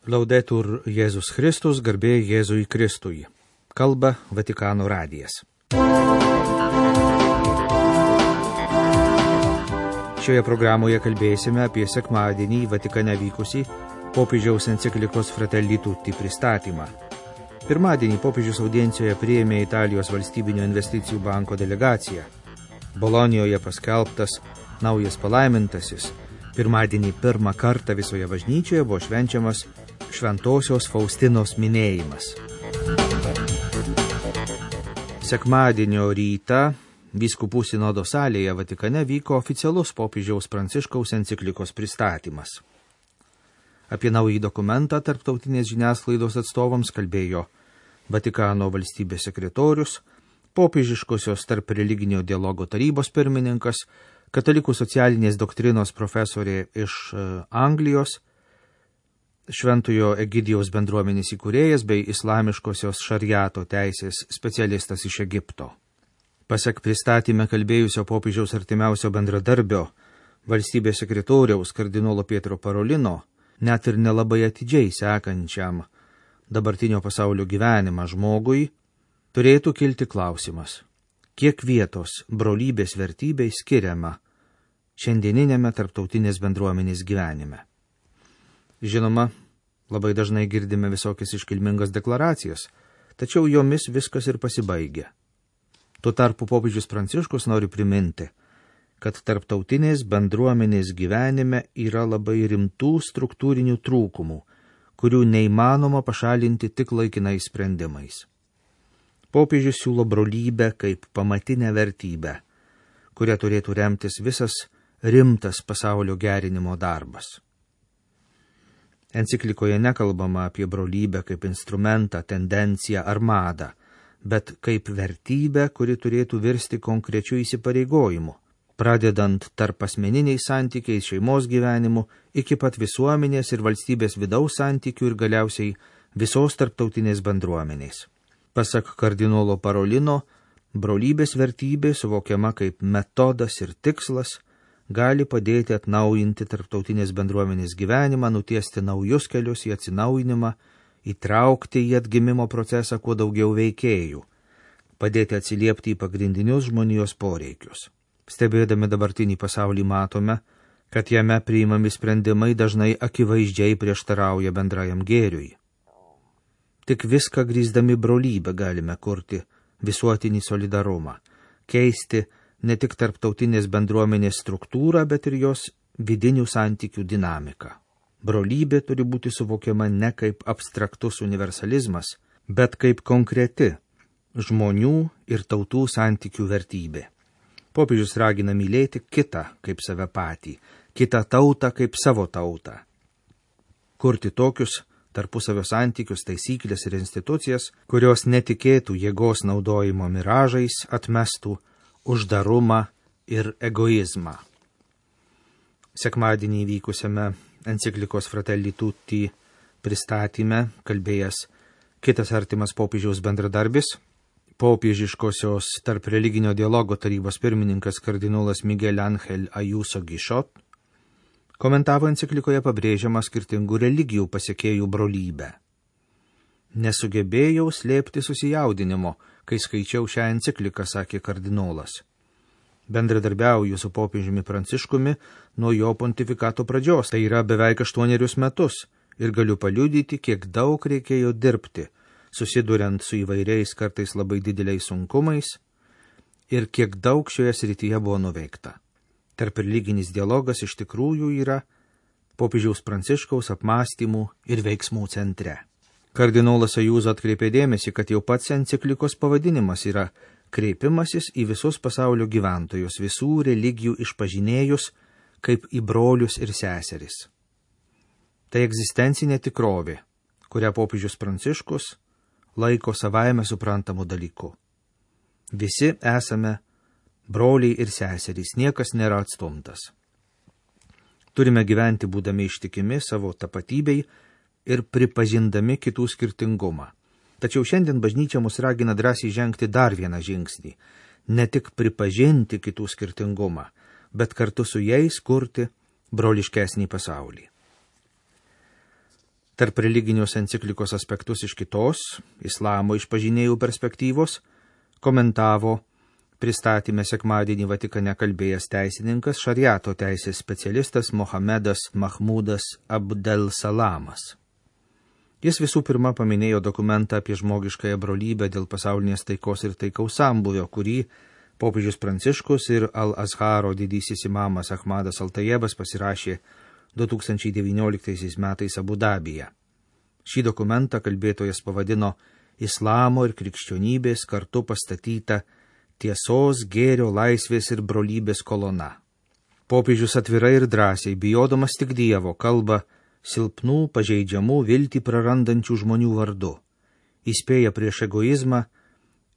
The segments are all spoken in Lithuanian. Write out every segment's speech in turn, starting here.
Laudetur Jėzus Kristus, garbė Jėzui Kristui. Kalba Vatikano radijas. Šioje programoje kalbėsime apie sekmadienį Vatikane vykusį popiežiaus enciklikos Fratelli Tutti pristatymą. Pirmadienį popiežius audiencijoje priėmė Italijos valstybinio investicijų banko delegaciją. Bolonijoje paskelbtas naujas palaimintasis. Pirmadienį pirmą kartą visoje bažnyčioje buvo švenčiamas Šventosios Faustinos minėjimas. Sekmadienio rytą vyskupų sinodo salėje Vatikane vyko oficialus popiežiaus Pranciškaus enciklikos pristatymas. Apie naują dokumentą tarptautinės žiniasklaidos atstovams kalbėjo Vatikano valstybės sekretorius, popiežiškosios tarp religinio dialogo tarybos pirmininkas, katalikų socialinės doktrinos profesorė iš Anglijos, Šventojo Egidijaus bendruomenės įkūrėjas bei islamiškosios šariato teisės specialistas iš Egipto. Pasak pristatyme kalbėjusio popiežiaus artimiausio bendradarbio, valstybės sekretoriaus kardinolo Pietro Parolino, net ir nelabai atidžiai sekančiam dabartinio pasaulio gyvenimą žmogui, turėtų kilti klausimas, kiek vietos brolybės vertybei skiriama šiandieninėme tarptautinės bendruomenės gyvenime. Žinoma, labai dažnai girdime visokias iškilmingas deklaracijas, tačiau jomis viskas ir pasibaigia. Tuo tarpu popiežius Pranciškus nori priminti, kad tarptautinės bendruomenės gyvenime yra labai rimtų struktūrinių trūkumų, kurių neįmanoma pašalinti tik laikinais sprendimais. Popiežius siūlo brolybę kaip pamatinę vertybę, kuria turėtų remtis visas rimtas pasaulio gerinimo darbas. Enciklikoje nekalbama apie brolybę kaip instrumentą, tendenciją ar madą, bet kaip vertybę, kuri turėtų virsti konkrečiu įsipareigojimu, pradedant tarp asmeniniais santykiais, šeimos gyvenimu, iki pat visuomenės ir valstybės vidaus santykių ir galiausiai visos tarptautinės bendruomenės. Pasak kardinolo Parolino, brolybės vertybė, suvokiama kaip metodas ir tikslas, gali padėti atnaujinti tarptautinės bendruomenės gyvenimą, nutiesti naujus kelius į atsinaujinimą, įtraukti į atgimimo procesą kuo daugiau veikėjų, padėti atsiliepti į pagrindinius žmonijos poreikius. Stebėdami dabartinį pasaulį matome, kad jame priimami sprendimai dažnai akivaizdžiai prieštarauja bendrajam gėriui. Tik viską grįsdami brolybę galime kurti visuotinį solidarumą, keisti ne tik tarptautinės bendruomenės struktūrą, bet ir jos vidinių santykių dinamiką. Brolybė turi būti suvokiama ne kaip abstraktus universalizmas, bet kaip konkreti žmonių ir tautų santykių vertybė. Popiežius ragina mylėti kitą kaip save patį, kitą tautą kaip savo tautą. Kurti tokius tarpusavio santykius, taisyklės ir institucijas, kurios netikėtų jėgos naudojimo miražais, atmestų uždarumą ir egoizmą. Sekmadienį vykusiame enciklikos Fratelli Tutti pristatyme kalbėjęs kitas artimas popiežiaus bendradarbis, popiežiškosios tarp religinio dialogo tarybos pirmininkas kardinolas Miguel Ángel Ayuso Guichot, komentavo enciklikoje pabrėžiamą skirtingų religijų pasekėjų brolybę. Nesugebėjau slėpti susijaudinimo, kai skaičiau šią encikliką, sakė kardinolas. Bendradarbiauju su popiežiumi Pranciškumi nuo jo pontifikato pradžios, tai yra beveik 8 metus, ir galiu paliudyti, kiek daug reikėjo dirbti, susiduriant su įvairiais kartais labai dideliais sunkumais, ir kiek daug šioje srityje buvo nuveikta. Tarp religinis dialogas iš tikrųjų yra popiežiaus Pranciškaus apmąstymų ir veiksmų centre. Kardinolas Ayuso atkreipė dėmesį, kad jau pats enciklikos pavadinimas yra kreipimasis į visus pasaulio gyventojus, visų religijų išpažinėjus kaip į brolius ir seseris. Tai egzistencinė tikrovė, kurią popiežius Pranciškus laiko savaime suprantamų dalykų. Visi esame broliai ir seserys, niekas nėra atstumtas. Turime gyventi būdami ištikimi savo tapatybei ir pripažindami kitų skirtingumą. Tačiau šiandien bažnyčia mus ragina drąsiai žengti dar vieną žingsnį, ne tik pripažinti kitų skirtingumą, bet kartu su jais kurti broliškesnį pasaulį. tarp religinius enciklikos aspektus iš kitos, islamo išpažinėjų perspektyvos, komentavo pristatyme sekmadienį Vatikane kalbėjęs teisininkas, šariato teisės specialistas Mohamedas Mahmudas Abdel Salamas. Jis visų pirma paminėjo dokumentą apie žmogiškąją brolybę dėl pasaulinės taikos ir taikaus sambūvio, kurį popiežius Pranciškus ir Al-Azharo didysis imamas Ahmadas Al-Tajebas pasirašė 2019 metais Abu Dabyje. Šį dokumentą kalbėtojas pavadino Islamo ir krikščionybės kartu pastatyta tiesos, gėrio, laisvės ir brolybės kolona. Popiežius atvirai ir drąsiai, bijodamas tik Dievo, kalba silpnų, pažeidžiamų, viltį prarandančių žmonių vardu, įspėja prieš egoizmą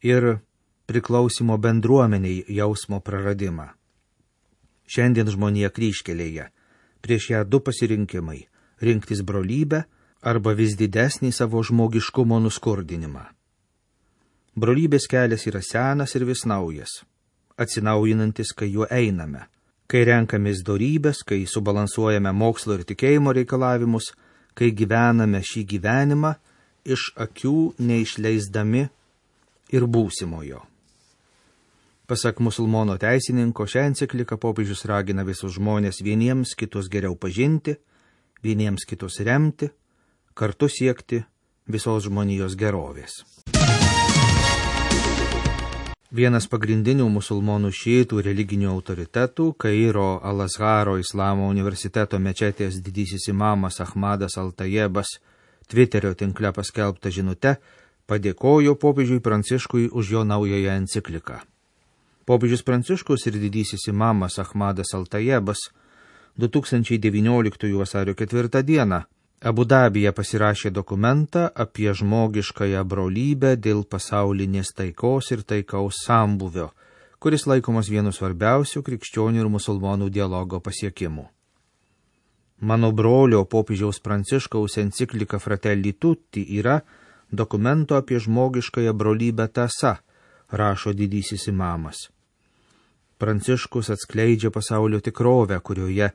ir priklausimo bendruomeniai jausmo praradimą. Šiandien žmonija kryžkelėje, prieš ją du pasirinkimai – rinktis brolybę arba vis didesnį savo žmogiškumo nuskurdinimą. Brolybės kelias yra senas ir vis naujas, atsinaujinantis, kai juo einame, kai renkamės dorybės, kai subalansuojame mokslo ir tikėjimo reikalavimus, kai gyvename šį gyvenimą iš akių neišleisdami ir būsimojo. Pasak musulmono teisininko, šią encikliką popiežius ragina visus žmonės vieniems kitus geriau pažinti, vieniems kitus remti, kartu siekti visos žmonijos gerovės. Vienas pagrindinių musulmonų šiitų religinių autoritetų, Kairo Al-Azharo Islamo universiteto mečetės didysis imamas Ahmadas Al-Tajebas, Twitterio tinkle paskelbta žinute, padėkojo popiežiui Pranciškui už jo naująją encikliką. Popiežius Pranciškus ir didysis imamas Ahmadas Al-Tajebas 2019 vasario 4 dieną Abu Dabyje pasirašė dokumentą apie žmogiškąją brolybę dėl pasaulinės taikos ir taikaus sambūvio, kuris laikomas vienu svarbiausių krikščionių ir musulmonų dialogo pasiekimų. Mano brolio popiežiaus Pranciškaus enciklika Fratelli Tutti yra dokumento apie žmogiškąją brolybę tąsa, rašo didysis imamas. Pranciškus atskleidžia pasaulio tikrovę, kurioje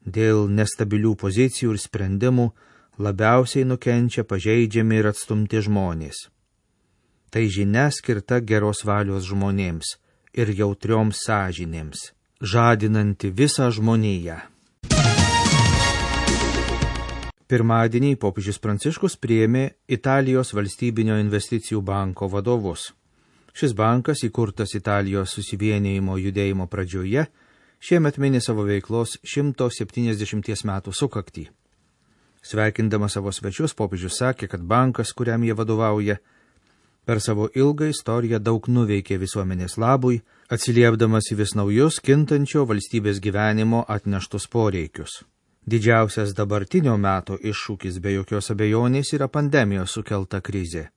dėl nestabilių pozicijų ir sprendimų labiausiai nukenčia pažeidžiami ir atstumti žmonės. Tai žinia skirta geros valios žmonėms ir jautrioms sąžinėms, žadinanti visą žmoniją. Pirmadienį popiežius Pranciškus priėmė Italijos valstybinio investicijų banko vadovus. Šis bankas, įkurtas Italijos susivienijimo judėjimo pradžioje, šiemet mini savo veiklos 170 metų sukaktį. Sveikindamas savo svečius, popiežius sakė, kad bankas, kuriam jie vadovauja, per savo ilgą istoriją daug nuveikė visuomenės labui, atsiliepdamas į vis naujus kintančio valstybės gyvenimo atneštus poreikius. Didžiausias dabartinio meto iššūkis be jokios abejonės yra pandemijos sukelta krizė.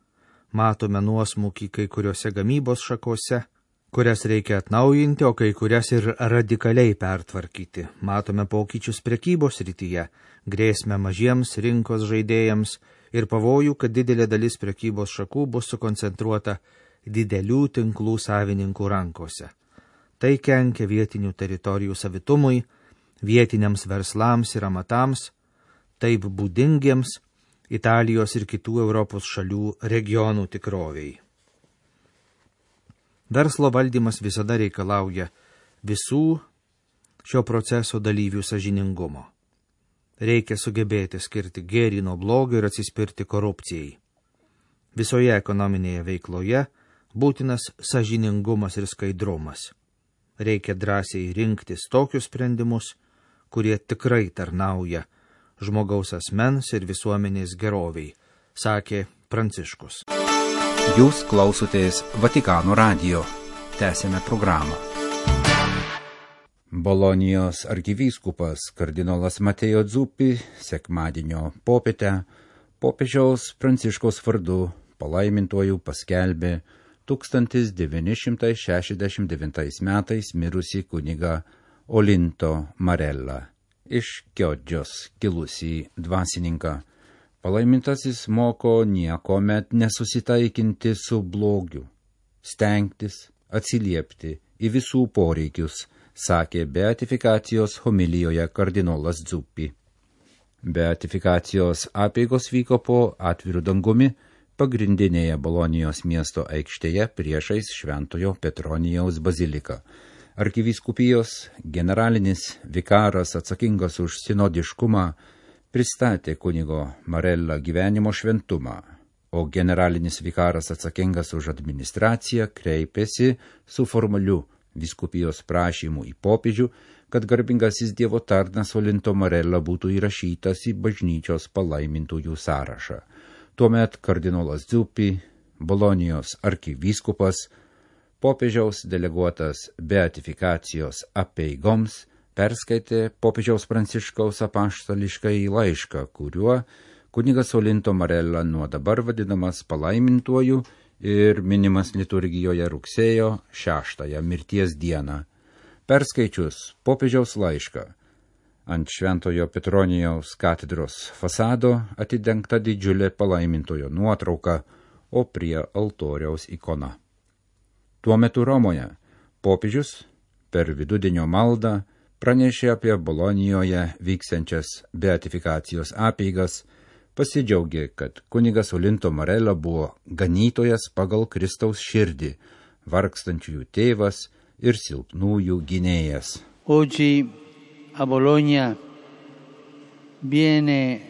Matome nuosmukį kai kuriuose gamybos šakose, kurias reikia atnaujinti, o kai kurias ir radikaliai pertvarkyti. Matome pokyčius prekybos srityje, grėsmę mažiems rinkos žaidėjams ir pavojų, kad didelė dalis prekybos šakų bus sukoncentruota didelių tinklų savininkų rankose. Tai kenkia vietinių teritorijų savitumui, vietiniams verslams ir amatams, taip būdingiems Italijos ir kitų Europos šalių regionų tikroviai. Verslo valdymas visada reikalauja visų šio proceso dalyvių sąžiningumo. Reikia sugebėti skirti gėrį nuo blogio ir atsispirti korupcijai. Visoje ekonominėje veikloje būtinas sąžiningumas ir skaidrumas. Reikia drąsiai rinktis tokius sprendimus, kurie tikrai tarnauja žmogaus asmens ir visuomenės geroviai, sakė Pranciškus. Jūs klausotės Vatikano radijo. Tęsėme programą. Bolonijos arkivyskupas kardinolas Mateo Zuppi sekmadienio popietę popiežiaus Pranciškaus vardu palaimintuoju paskelbė 1969 metais mirusį kunigą Olinto Marella, iš Chioggios kilusį dvasininką. Palaimintasis moko niekuomet nesusitaikinti su blogiu, stengtis atsiliepti į visų poreikius, sakė beatifikacijos homilijoje kardinolas Zuppi. Beatifikacijos apeigos vyko po atviru dangumi pagrindinėje Bolonijos miesto aikštėje priešais Šventojo Petronijaus baziliką. Arkivyskupijos generalinis vikaras atsakingas už sinodiškumą pristatė kunigo Marella gyvenimo šventumą, o generalinis vikaras atsakingas už administraciją kreipėsi su formaliu vyskupijos prašymu į popiežių, kad garbingasis Dievo tarnas Olinto Marella būtų įrašytas į bažnyčios palaimintųjų sąrašą. Tuomet kardinolas Zuppi, Bolonijos arkivyskupas, popiežiaus deleguotas beatifikacijos apeigoms, perskaitė popiežiaus Pranciškaus apaštališkąjį laišką, kuriuo kunigas Olinto Marella nuo dabar vadinamas palaimintuoju ir minimas liturgijoje rugsėjo 6 mirties dieną. Perskaičius popiežiaus laišką, ant Šventojo Petronijaus katedros fasado atidengta didžiulė palaimintojo nuotrauka, o prie altoriaus ikona. Tuo metu Romoje popiežius per vidudienio maldą pranešė apie Bolonijoje vyksiančias beatifikacijos apeigas, pasidžiaugė, kad kunigas Olinto Marella buvo ganytojas pagal Kristaus širdį, vargstančiųjų tėvas ir silpnųjų gynėjas. Oggi a Bologna viene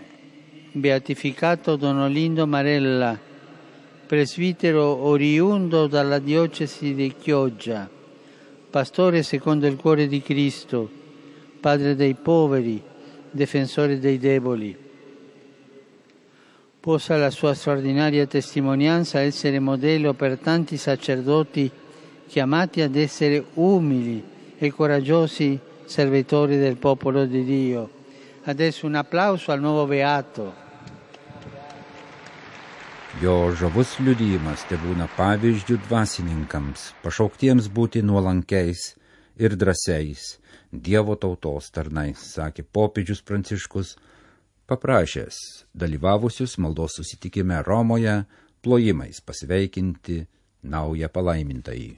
beatificato Don Olinto Marella, presbitero oriundo dalla diocesi di Chioggia, pastore secondo il cuore di Cristo, padre dei poveri, difensore dei deboli. Possa la sua straordinaria testimonianza essere modello per tanti sacerdoti chiamati ad essere umili e coraggiosi servitori del popolo di Dio. Adesso un applauso al nuovo beato. Jo žavus liudijimas tebūna pavyzdžių dvasininkams, pašauktiems būti nuolankiais ir drąsiais Dievo tautos tarnais, sakė popiežius Pranciškus, paprašęs dalyvavusius maldos susitikime Romoje plojimais pasveikinti naują palaimintąjį.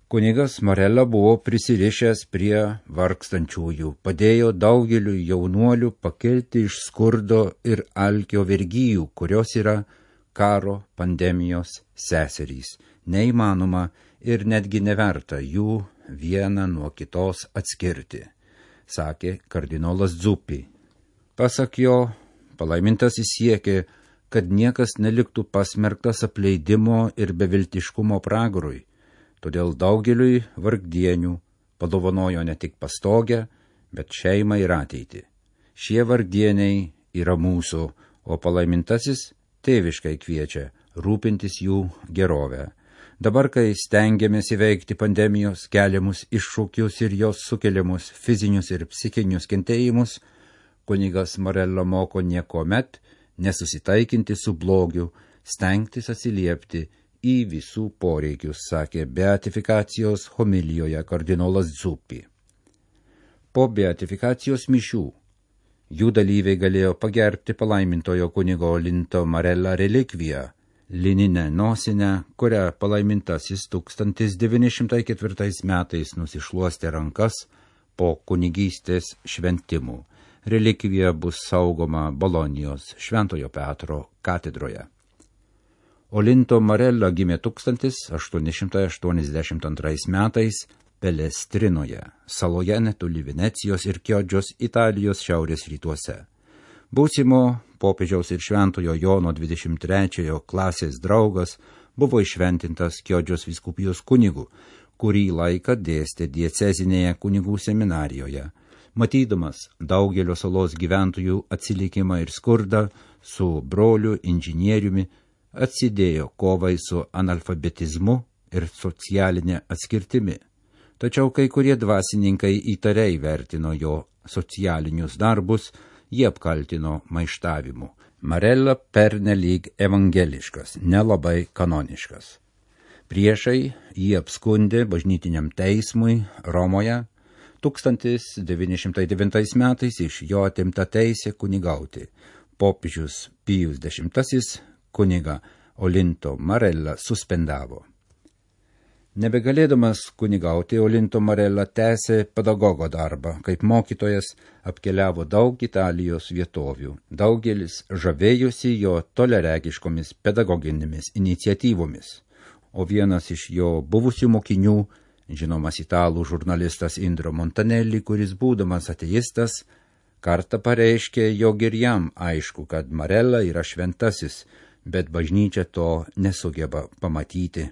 Kunigas Marella buvo prisirišęs prie vargstančiųjų, padėjo daugeliu jaunuolių pakilti iš skurdo ir alkio vergyjų, kurios yra karo, pandemijos seserys. Neįmanoma ir netgi neverta jų vieną nuo kitos atskirti, sakė kardinolas Zuppi. Pasak jo, palaimintasis siekė, kad niekas neliktų pasmerktas apleidimo ir beviltiškumo pragarui. Todėl daugeliui vargdienių padovanojo ne tik pastogę, bet šeimą ir ateitį. Šie vargdieniai yra mūsų, o palaimintasis tėviškai kviečia rūpintis jų gerovę. Dabar, kai stengiamės įveikti pandemijos keliamus iššūkius ir jos sukeliamus fizinius ir psichinius kentėjimus, kunigas Marella moko niekuomet nesusitaikinti su blogiu, stengtis atsiliepti į visų poreikius, sakė beatifikacijos homilijoje kardinolas Zuppi. Po beatifikacijos mišių jų dalyviai galėjo pagerbti palaimintojo kunigo Olinto Marella relikviją, lininę nosinę, kurią palaimintasis 1904 metais nusišluostė rankas po kunigystės šventimų. Relikvija bus saugoma Bolonijos Šventojo Petro katedroje. Olinto Marella gimė 1882 metais Pelestrinoje, saloje netoli Venecijos ir Chioggios, Italijos šiaurės rytuose. Būsimo popiežiaus ir Šventojo Jono 23 klasės draugas buvo iššventintas Chioggios vyskupijos kunigu, kurį laiką dėstė diecezinėje kunigų seminarijoje. Matydamas daugelio salos gyventojų atsilikimą ir skurdą, su broliu inžinieriumi atsidėjo kovai su analfabetizmu ir socialinė atskirtimi. Tačiau kai kurie dvasininkai įtariai vertino jo socialinius darbus, jie apkaltino maištavimu. Marella pernelyg evangeliškas, nelabai kanoniškas. Priešai jį apskundė bažnytiniam teismui Romoje. 1909 metais iš jo atimta teisė kunigauti. Popiežius Pijus X kunigą Olinto Marella suspendavo. Nebegalėdamas kunigauti, Olinto Marella tęsė pedagogo darbą. Kaip mokytojas apkeliavo daug Italijos vietovių. Daugelis žavėjosi jo toleregiškomis pedagoginėmis iniciatyvomis. O vienas iš jo buvusių mokinių, žinomas italų žurnalistas Indro Montanelli, kuris būdamas ateistas, kartą pareiškė, jog ir jam aišku, kad Marella yra šventasis, bet bažnyčia to nesugeba pamatyti.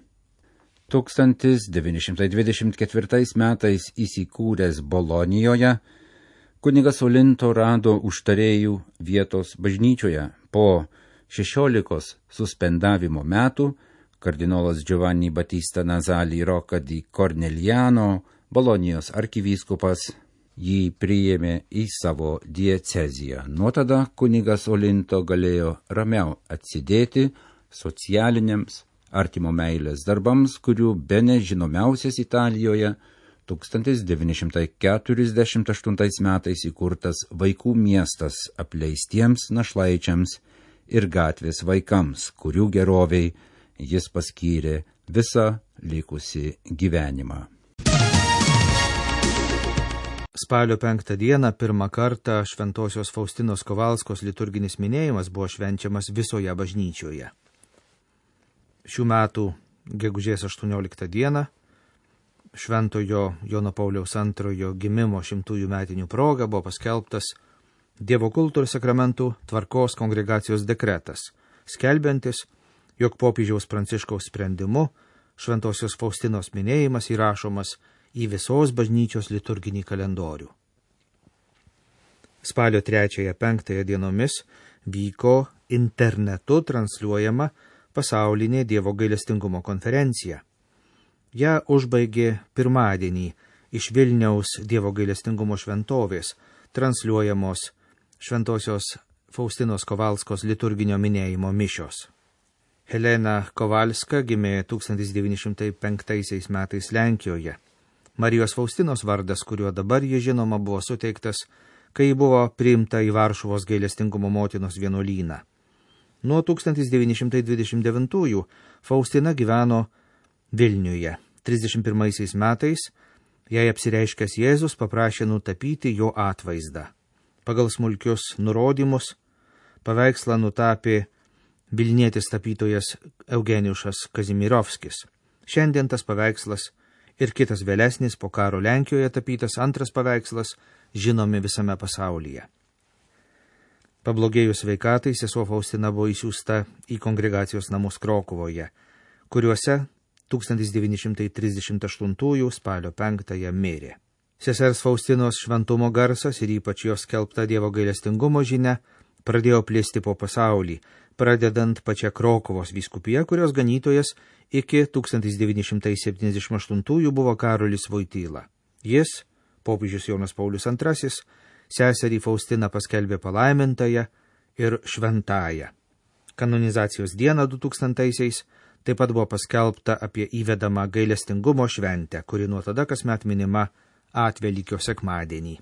1924 metais įsikūręs Bolonijoje, kunigas Olinto rado užtarėjų vietos bažnyčioje. Po 16 suspendavimo metų kardinolas Giovanni Battista Nazali Rocca di Corneliano, Bolonijos arkivyskupas, jį priėmė į savo dieceziją. Nuo tada kunigas Olinto galėjo ramiau atsidėti socialiniams artimo meilės darbams, kurių bene žinomiausias Italijoje 1948 metais įkurtas vaikų miestas apleistiems našlaičiams ir gatvės vaikams, kurių geroviai jis paskyrė visą likusį gyvenimą. Spalio 5 dieną pirmą kartą Šventosios Faustinos Kovalskos liturginis minėjimas buvo švenčiamas visoje bažnyčioje. Šių metų gegužės 18 dieną Šventojo Jono Pauliaus II gimimo 100 metinių proga buvo paskelbtas Dievo kulto ir sakramentų tvarkos kongregacijos dekretas, skelbiantis, jog popiežiaus Pranciškaus sprendimu Šventosios Faustinos minėjimas įrašomas į visos bažnyčios liturginį kalendorių. Spalio 3-5 dienomis vyko internetu transliuojama pasaulinė Dievo gailestingumo konferencija. Ja užbaigė pirmadienį iš Vilniaus Dievo gailestingumo šventovės transliuojamos Šventosios Faustinos Kovalskos liturginio minėjimo mišios. Helena Kovalska gimė 1905 metais Lenkijoje. Marijos Faustinos vardas, kuriuo dabar ji žinoma, buvo suteiktas, kai buvo priimta į Varšuvos gailestingumo motinos vienuolyną. Nuo 1929 Faustina gyveno Vilniuje. 31 metais jai apsireiškęs Jėzus paprašė nutapyti jo atvaizdą. Pagal smulkius nurodymus paveikslą nutapė vilnietis tapytojas Eugeniušas Kazimirovskis. Šiandien tas paveikslas ir kitas vėlesnis po karo Lenkijoje tapytas antras paveikslas žinomi visame pasaulyje. Pablogėjus sveikatai, sesuo Faustina buvo įsiųsta į kongregacijos namus Krokuvoje, kuriuose 1938 spalio 5 mirė. Sesers Faustinos šventumo garsas ir ypač jos skelbta Dievo gailestingumo žinia pradėjo plisti po pasaulį, pradedant pačią Krokuvos vyskupiją, kurios ganytojas iki 1978 buvo Karolis Voityla. Jis, popiežius Jonas Paulius II, seserį Faustiną paskelbė palaimintąją ir šventąją. Kanonizacijos dieną 2000-aisiais taip pat buvo paskelbta apie įvedamą gailestingumo šventę, kuri nuo tada kasmet minima Atvelykio sekmadienį.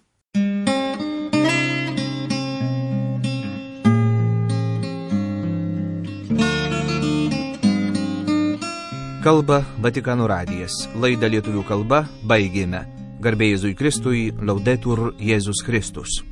Kalba Vatikano radijas. Laidą lietuvių kalba baigėme. Garbė Jėzui Kristui, Laudetur Jėzus Kristus.